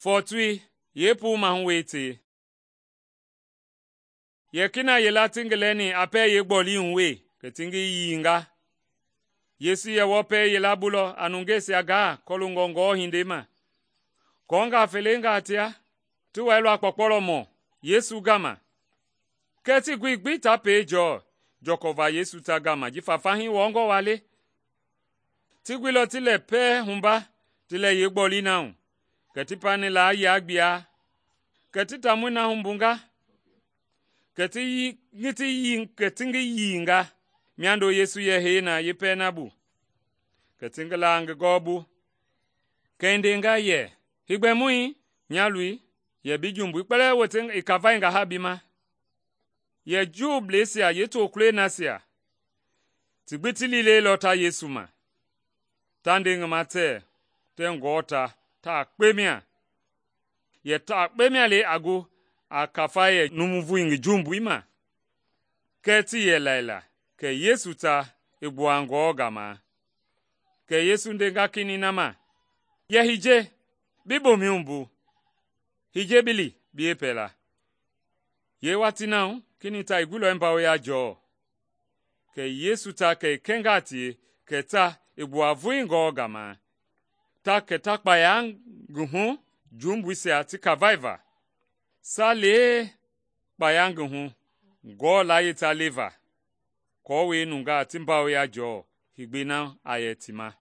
Fɔɔtoi yeepuu mahu wetei. Yɛ kina yila ti ngi lɛni a pɛɛ yeegbɔlii hu we, kɛ ti ngi yiinga. Yesu yɛ wɔpɛi yila bulɔ a nungeisia gaa kɔloongɔ Ngewɔ hindei ma. Kɔɔngaa felengaa tia ti wɛilɔ a kpɔkpɔlɔmɔ Yesu gama. Kɛɛ tii goi gbi ta pei jɔɔ jɔkɔva Yesu ta gama jifa fahii wɔɔngɔ waa le. Ti guilɔ ti lɛ pɛɛ humba ti lɛ yeegbɔlii na hu, kɛ ti pani laa yia gbia, kɛ ti taamɔi na humbunga, kɛ ti ngi yiinga miando Yesu yɛ hei na yeepɛlɛ na bu, kɛ ti ngi la ngi gɔɔbu. Kɛ i ndenga yɛ, “Heegbɛmɔi, nya loi, yɛ bi jumbui kpɛlɛɛ wote i kavainga ha bi ma.” Yɛ Juubleisia yeetokulɔi nasia ti gbi ti liilɛilɔ ta Yesu ma, ta nde ngi ma tɛɛ tɛɛ Ngewɔ ta taa kpe mia. Yɛ taa kpe mia le a gu a kafai yɛ numu voi ngi jumbui ma? Kɛɛ tii yɛ laila, kɛ Yesu ta i gbua Ngewɔ gama. Kɛ Yesu ndenga kinɛiŋ na ma, “Yɛ hiye, bi bomɛi wumbu. Hiye bi li bi yeepɛla.” Yeewatii na hu kinɛiŋ ta i guilɔ i mbawoya jɔɔ. Kɛ Yesu ta kɛ i kɛnga tie kɛ ta i gbua voi Ngewɔ gama, kɛ ta kpaya ngi hu jumbuisia ti kavaiva. Salee kpaya ngi hu Ngewɔ layie ta leva, aako nungaa ti mbawoya jɔɔ heegbɛi na a yɛ ti ma.